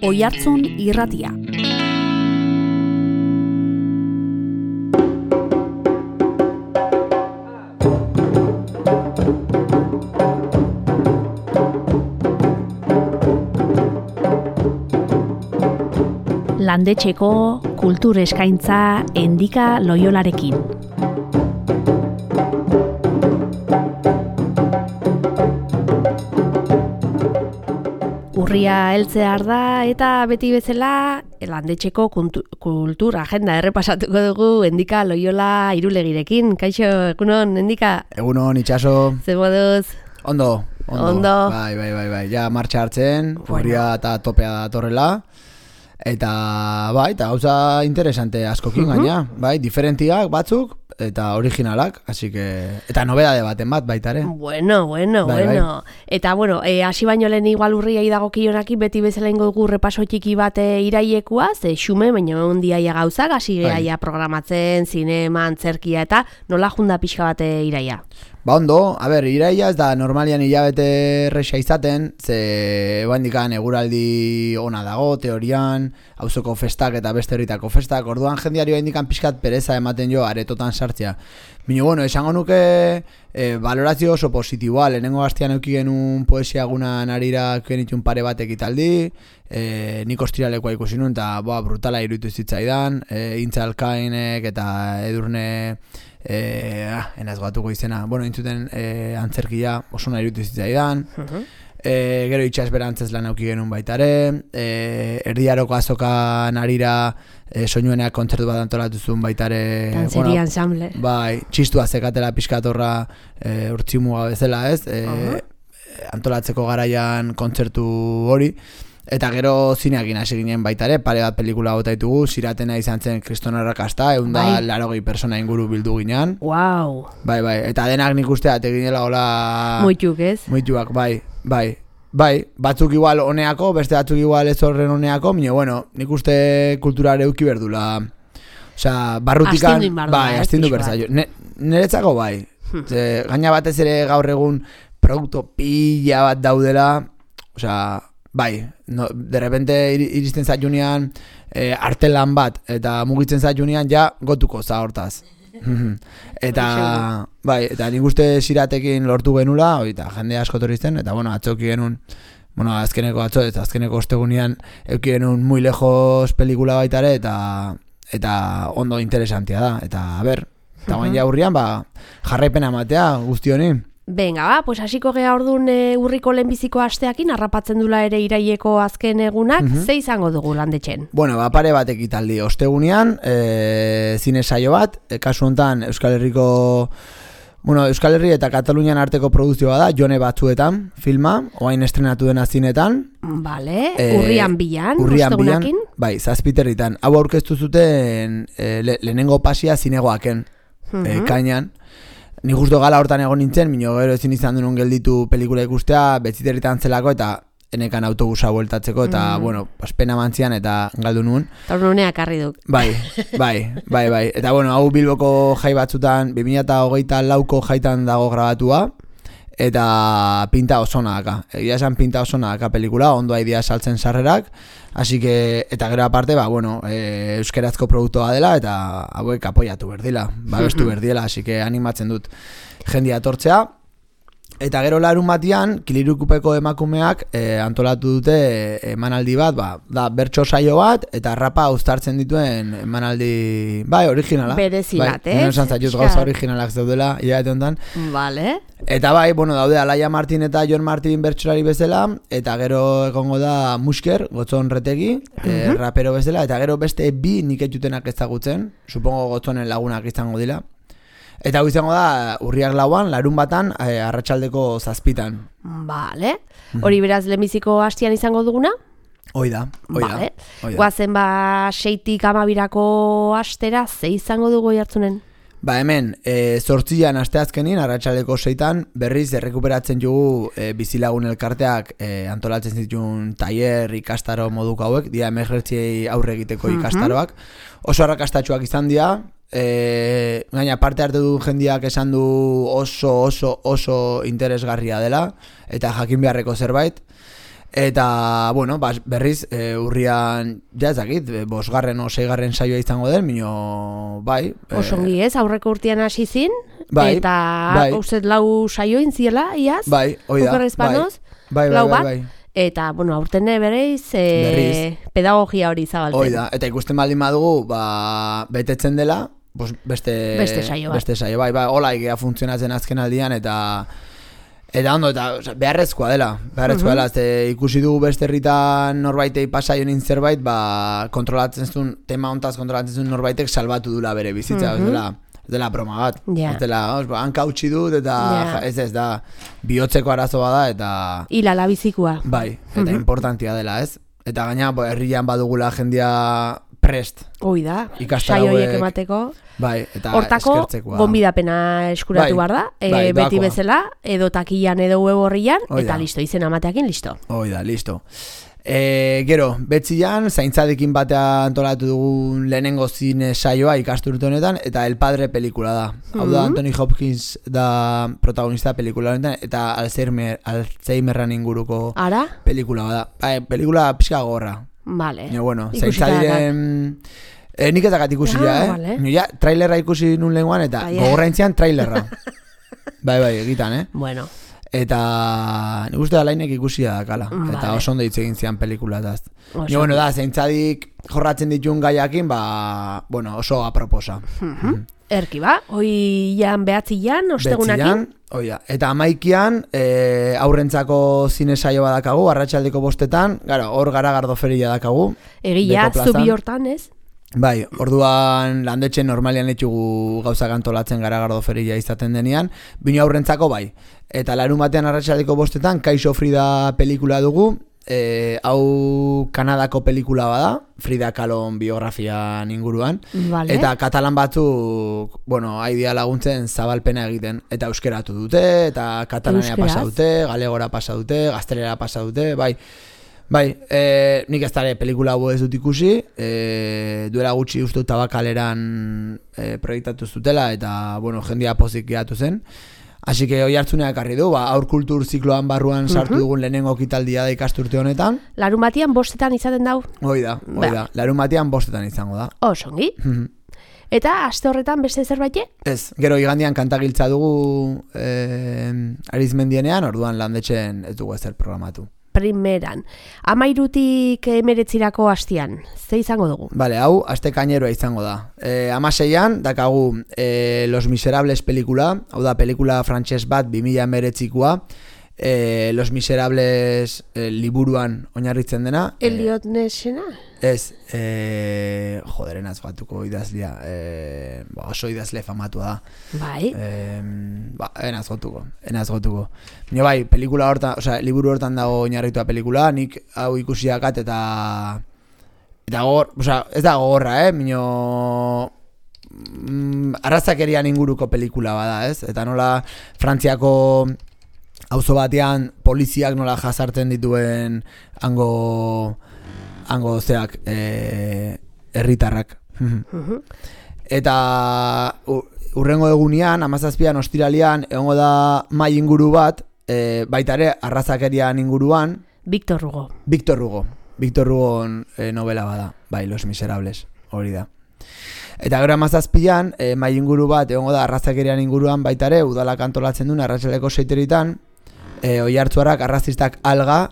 Oihartzun Irratia. Landetxeko kultur eskaintza Endika Loiolarekin. Urria heltzear da eta beti bezala landetxeko kultur agenda errepasatuko dugu Endika Loiola Irulegirekin. Kaixo, egunon, Endika? Egunon, itxaso. Zer moduz? Ondo. Bai. Ja, martxa hartzen, urria eta topea datorrela. Eta eta gauza interesante askokin gaina, diferentiak batzuk eta originalak, así que eta nobedade baten bat baita ere. Bueno. Eta hasi baino lehen igual urriai dagokionaki beti bezala ingo dugu repaso txiki bat irailekoa, ze xume baina ondiaia gauzak hasi gehaia programatzen, zinema, antzerkia eta nola junda pixka bat iraia. Ondo, iraia ez da normalian hilabete erresa izaten, ze bandikan eguraldi ona dago, teorian, auzoko festak eta beste herritako festak, orduan jendiari bandikan pixkat pereza ematen jo aretotan sartzea. Bino, esango nuke valorazio oso positiboa, lehenengo hastian euki genuen poesia gunan arira genitun pare bat ekitaldi, nik ostiralekoa ikusi nuen, eta brutala iruditu zitzaidan, Intzalkainek eta Edurne... enaz gatuko izena, intzuten antzerkia oso nahi irutu zitzaidan, gero itxasberantzez lan auki genuen baitare, erdiaroko azoka narira soinueneak kontzertu bat antolatu zuen baitare, Dantzeri ensamble. Txistua zekatela pixkatorra urtsimuga bezala, ez? Antolatzeko garaian kontzertu hori. Eta gero zineakin hasi ginen baita ere, pare bat pelikula bota ditugu, Ziratena izan zen Kriston Arrakasta, 180 persona inguru bildu ginean. Wow. Bai, eta denak nik usteat eginela hola... Moituk, ez? Moituak, bai, batzuk igual oneako, beste batzuk igual ez horren oneako, nik uste kulturare euki berdula. Osea, barrutikan... Astindu berzaio. Niretzako bai. Gaina batez ere gaur egun produkto pila bat daudela, osea... de repente iristen zaiunean artelan bat eta mugitzen zaiunean ja gotuko za hortaz. eta nik uste Ziratekin lortu genula, jende asko torrizten, eta atzoki genuen, azkeneko ostegunean euki genuen Muy Lejos pelikula baita ere, eta ondo interesantia da, eta eta baina ja urrian jarraipena ematea guzti honi. Venga, pues hasiko gea ordun urriko lehenbiziko asteakin harrapatzen dula ere iraileko azken egunak, ze izango dugu landetxen? Pare bat ekitaldi ostegunean, zine saio bat, kasu hontan Euskal Herri eta Katalunian arteko produzioa da, Jone Batzuetan filma, oain estrenatu dena zinetan. Vale, urrian bilan, ostegunakin? Bai, Zazpiterritan. Hau aurkeztu zuten lehenengo pasia zinegoaken, kainan. Ni justo gala hortan egon nintzen, gero ezin izan duen gelditu pelikula ikustea, Betziterritan zelako eta enekan autobusa bueltatzeko, eta, pena mantzian eta galdu nuen. Eta nuneak arri duk. Bai. Eta, hau Bilboko jai batzutan, 2024ko jaitan dago grabatua, eta pinta osona daka. Egia esan pinta osona daka pelikula, ondo haidia saltzen sarrerak, así que, eta gero aparte, euskerazko produktoa dela, eta hauek apoiatu berdila, babestu berdiela, así que animatzen dut jendia etortzea. Eta gero larun batian, Kilirukupeko emakumeak antolatu dute emanaldi bat, da bertso saio bat, eta rapa uztartzen dituen emanaldi, originala. Berezi bat, ez? Esan zaiut gauza originalak zaudela, hilabete honetan. Vale. Eta daude Alaia Martin eta Jon Martin bertsolari bezala, eta gero egongo da Musker, Gotzon Retegi, rapero bezala, eta gero beste bi nik etxutenak ezagutzen, supongo Gotzonen lagunak izango dira. Eta hau izango da urriak lauan, larun batan, arratsaldeko 7:00. Vale. Hori beraz lehenbiziko hastian izango duguna? Hoi da. Guazen 6-tik 12-rako astera, ze izango dugu Oihartzunen? Hemen, 8an asteazkenin, arratsaldeko 6:00 berriz errekuperatzen dugu bizilagun elkarteak antolatzen zituen tailer ikastaro moduko hauek, dira emergentziei aurre egiteko ikastaroak. Oso arrakastatsuak izan dira, gaina parte hartu du jendiak esan du oso interesgarria dela, eta jakin beharreko zerbait. Eta, bueno, berriz, urrian, ja ezakit, 5. o 6. saioa izango den, mino, bai. Osongi ez, aurreko urtean hasi zin, bai, eta uzet 4 saio intziela, iaz? Bai, oida. Bai, bai. Eta, bueno, aurtene berriz, pedagogia hori zabalten. Oida, eta ikusten baldin badugu, betetzen dela, beste saio bai, hola ikea funtzionatzen azken aldian, eta ondo, eta beharrezkoa dela, ikusi dugu beste herritan norbaitei pasaionin zerbait, kontrolatzen zuen, tema hontaz kontrolatzen zuen norbaitek salbatu dula bere bizitza, ez dela broma bat, ez dela, hanka utzi dut, eta ez da, bihotzeko arazoa da, eta hilala bizikua. Bai, eta importantia dela, ez? Eta gaina, herrian badugula jendia prest. Hoi da, saioiek emateko. Bai, eta hortako, eskertzekoa. Gonbidapena eskuratu behar da, beti bezala, edo takian edo web horrian, eta listo, izena amateakin listo. Hoi da, listo. Gero, betzian, zaintzadekin batea antolatu dugun lehenengo zine saioa ikasturte honetan, eta El Padre pelikula da. Hau da, Anthony Hopkins da protagonista pelikula honetan, eta Alzheimerran inguruko pelikula da. Pelikula pixka gorra. Vale. Bueno, zaintzadiren... nik ezakat ikusi trailerra ikusi nun lehenguan, eta gogorra intzian trailerra. Bai, egitan, Bueno. Eta nik uste da lainek ikusia dakala. Eta oso ondo hitz egin zian pelikulataz. Bueno, da, zaintzadik jorratzen dituen gaiakin, oso aproposa. Erki ba, hoian behatzian, ostegunakin. Oia, eta 11an aurrentzako zine saio badakagu, arratsaldeko 5etan, hor Garagardo feria dakagu. Egia, zubi hortan, ez? Bai, orduan landetxen normalian etxugu gauzak antolatzen Garagardo feria izaten denean, bino aurrentzako bai. Eta larun batean arratsaldeko 5etan, Kaixo Frida pelikula dugu, hau Kanadako pelikula bada, Frida Kahlon biografian inguruan, eta katalan batzuk, haidia laguntzen zabalpena egiten, eta euskeratu dute, eta katalanea pasa dute, galegora pasa dute, gaztelera pasa dute, bai, nik ez dara pelikula hau ez dut ikusi, duela gutxi uste Tabakaleran proiektatu zutela, eta, jendia pozik gehiatu zen. Así que hoi hartzuneak harri du, aur kultur zikloan barruan sartu dugun lehenengo kitaldia da ikasturte honetan. Larun batian 5etan izaten dau? Hoi da. Larun batian 5etan izango da. Osongi. Eta aste horretan beste zerbait? Ez, gero igandian kantagiltza dugu Arizmendienean, orduan landetxen ez dugu ezer programatu. Primeran. 13tik 19 hastian, ze izango dugu? Vale, hau, aste kaineroa izango da. 16an, dakagu Los Miserables pelikula, hau da, pelikula frantses bat 2019koa, Los Miserables liburuan oinarritzen dena. Eliot Nessena? Ez, joderenaz batuko idazlia, oso idazle famatua da. Bai. Enaz gotuko. Nio bai, pelikula hortan, liburu hortan dago oinarritua pelikula, nik hau ikusiakat eta gogor, ez da gogorra, minio arrazakerian inguruko pelikula bada, ez? Eta nola Frantziako auzo batean poliziak nola jasartzen dituen hango zeak herritarrak. Eta urrengo egunean, 17an ostiralian, egongo da mai inguru bat, baita ere arrazakerian inguruan. Victor Hugo. Victor Hugo novela bada, bai, Los Miserables, hori da. Eta gero 17an, mai inguru bat, egongo da arrazakerian inguruan, baita ere, udalak antolatzen duen arratsaleko 6:00 Oiartzuarrak arrazistak alga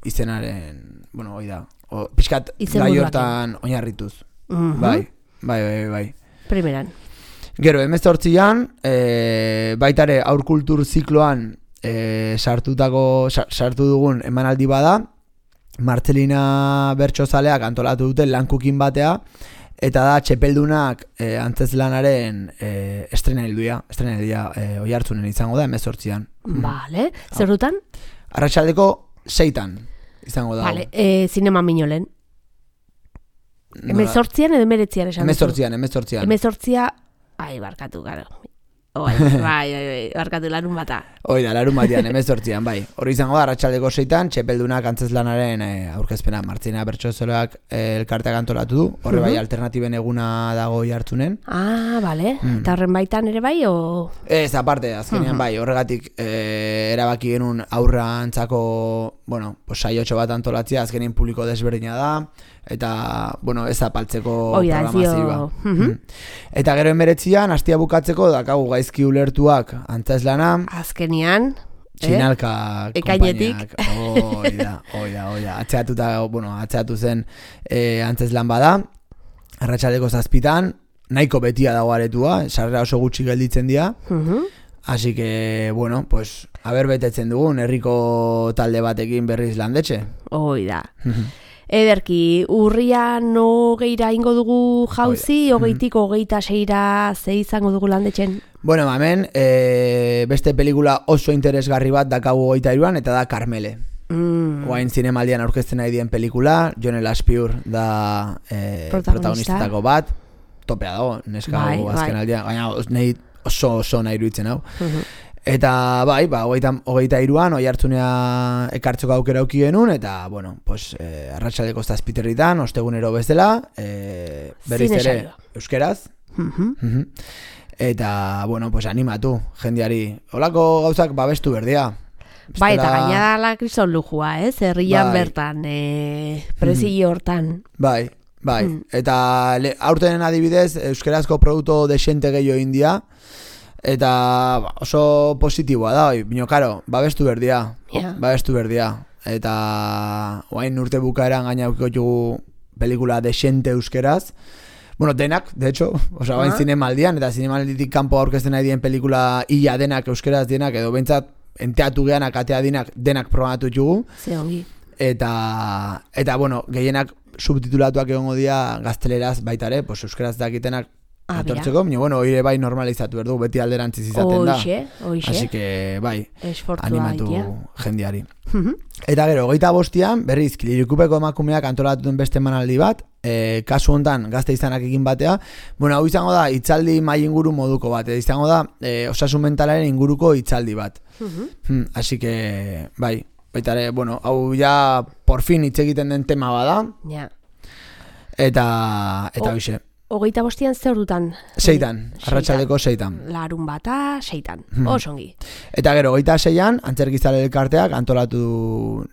izenaren, hoi da, pixkat gai hortan oinarrituz. Bai. Primeran. Gero, 18an, baita ere aur kultur zikloan sartu dugun emanaldi bada, Martzelina Bertsozaleak antolatu dute lankukin batea, eta da txepeldunak antzezlanaren estrenaldia oihartzunen izango da 18an. Vale, zer dutan? Arratsaldeko 6tan izango da. Vale, zinema Minolen. 18an edo 19an esan duzu? 18a, barkatu, gara. Bai, barkatu larun bata. Hoi da, larun batean, 18an, bai. Hori izango da, arratsaldeko 6tan, txepeldunak antzezlanaren aurkezpena. Martzina Bertsozaleak elkarteak antolatu du. Horre bai, alternatiben eguna dago jartzunen. Bale. Eta horren baitan ere bai, o...? Ez, aparte, azkenean bai, horregatik erabaki genuen aurrantzako, bueno, saiotxo bat antolatzea, azkenin publiko desberdina da, eta, bueno, ez apaltzeko programazioa. Eta gero 19an, astia bukatzeko, dakagu gaizki ulertuak antzeslana. Azkenian, Txinalka ekainetik. Oida. Atzeatu zen antzeslan bada, arratsaldeko 7 nahiko betia dago aretua, sarrera oso gutxi gelditzen dira. Así que, bueno, pues, haber betetzen dugun, herriko talde batekin berriz landetxe. Oida. Ederki, urrian 20ra ingo dugu jauzi, 20tik 26ra ze izango dugu landetxen? Bueno, hemen, beste pelikula oso interesgarri bat dakagu 23an, eta da Karmele. Oain zinemaldian aurkezten nahi dien pelikula, Jon Aspiur da protagonistetako bat, topea dago, neska azken aldian, gaina nahi oso nahi iruditzen hau. Eta bai, 23an Oiartzunea ekartzeko aukera auki genuen, eta, bueno, pues, arratsaldeko 7:00 ostegunero bezala, berriz ere euskeraz. Eta, bueno, pues animatu, jendeari. Holako gauzak babestu berdia. Bai, eta gaina la kriston lujua, herrian bertan, prezio hortan. Bai. Eta aurtenen adibidez, euskerazko produktu desente gehiago india, eta oso positiboa da, bino, karo, babestu berdia. Eta oain urte bukaeran gaina aukiko jugu pelikula desente euskeraz. Bueno, denak, de hecho, oain zinemaldian, eta zinemalditik kanpo aurkezten nahi dien pelikula ia denak euskeraz denak, edo bentsat enteatu geanak, atea denak programatu jugu. Ze ongi. Eta, bueno, gehienak subtitulatuak egongo dira gazteleraz baitare, pues euskeraz dakitenak etortzeko, bueno, oire bai normalizatu berdu, beti alderantziz izaten da. Oixe. Así que, bai, esfortua animatu jendeari. Eta gero, 25an, berriz, Lirikupeko emakumeak antolatu duen beste emanaldi bat, kasu hontan gazte izanak egin batea, bueno, hau izango da, hitzaldi mai inguru moduko bat, izango da, osasun mentalaren inguruko hitzaldi bat. Así que, bai, baitare, bueno, hau ja por fin hitz egiten den tema bada. Ja. Eta hoxe. 25an zer dutan? 6an, arratsaldeko 6an. Larun bata, 6an. Osongi. Eta gero, 26an, antzerkizale elkarteak antolatu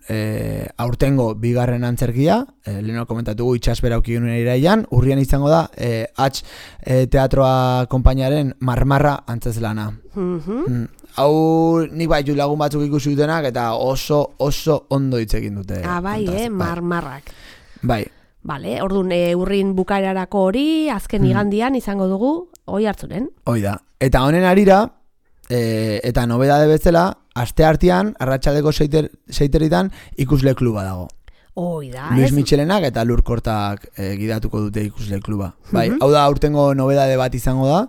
aurtengo bigarren antzerkia, leheno komentatugu itxasbera auki genuen iraian, urrian izango da, H teatroa konpainiaren Marmarra antzeslana. Hau nik bai lagun batzuk ikusi dutenak eta oso ondo hitz egin dute. Bai, Marmarrak. Bai. Vale, orduan urrin bukaerarako hori, azken igandian izango dugu, Oiartzunen. Hoi da. Eta honen arira, eta nobedade bezala, asteartean, arratsaldeko 6:00 ikusle kluba dago. Hoi da, Luis Michelenak eta Lurkortak gidatuko dute ikusle kluba. Bai, hau da aurtengo nobedade bat izango da,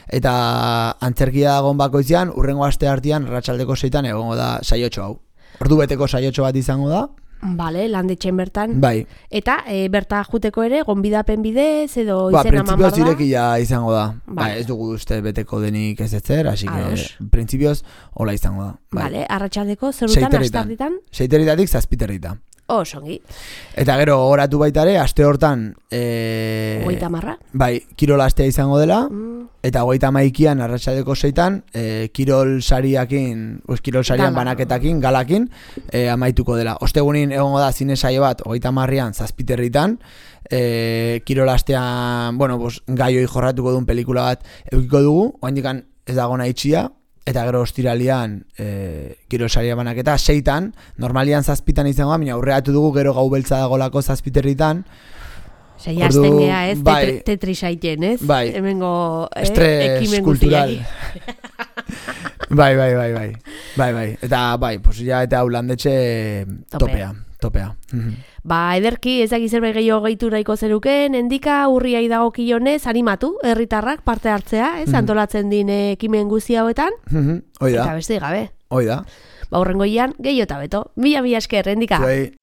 eta antzerkia dagoen bakoitzean, urrengo asteartean, arratsaldeko 6:00 egongo da saiotxo hau. Ordu beteko saiotxo bat izango da. Bale, landetxen bertan. Bai. Eta berta juteko ere, gonbidapen bidez edo izena eman printzipioz barda? irekia izango da. Bai, ez dugu uste beteko denik ez etzer, así que printzipioz hola izango da. Bale, arratsaldeko zer dutan, astarditan? 6:00 7:00. Osongi. Eta gero horatu baitare, aste hortan 30. Bai, kirol astea izango dela, eta 31an arratsaldeko 6:00 kirol sariakin, kirol sarian banaketakin, galakin amaituko dela. Ostegunin egongo da zine saio bat 30an 7:00, kirol astean, bueno, gaioi jorratuko duen pelikula bat edukiko dugu, oraindik ez dago nahi itxia. Eta gero ostiralian kirol saria banaketa 6:00, normalian 7:00 izango da, baina aurreatu dugu gero gau beltza dagolako 7:00. Jazten gea, ez? Tetrisaiten, ez? Bai. Hemengo estres kultural. Bai. Eta bai, pues ya eta aulandetxe topea. Ederki, ez dakiz zerbait gehiago gehitu nahiko zeruken, endika urriai dagokionez animatu, herritarrak parte hartzea, ez? Antolatzen din ekimen guzti hauetan. Oida. Eta beste gabe. Oida. Hurrengoian gehiago eta beto. Mila esker, endika. Zuei.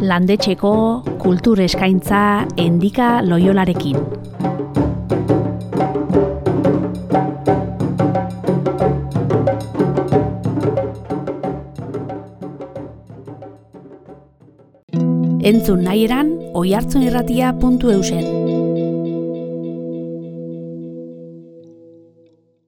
Landetxeko kultur eskaintza Endika Loiolarekin. Entzun nahi eran, oihartzunirratia.eusen.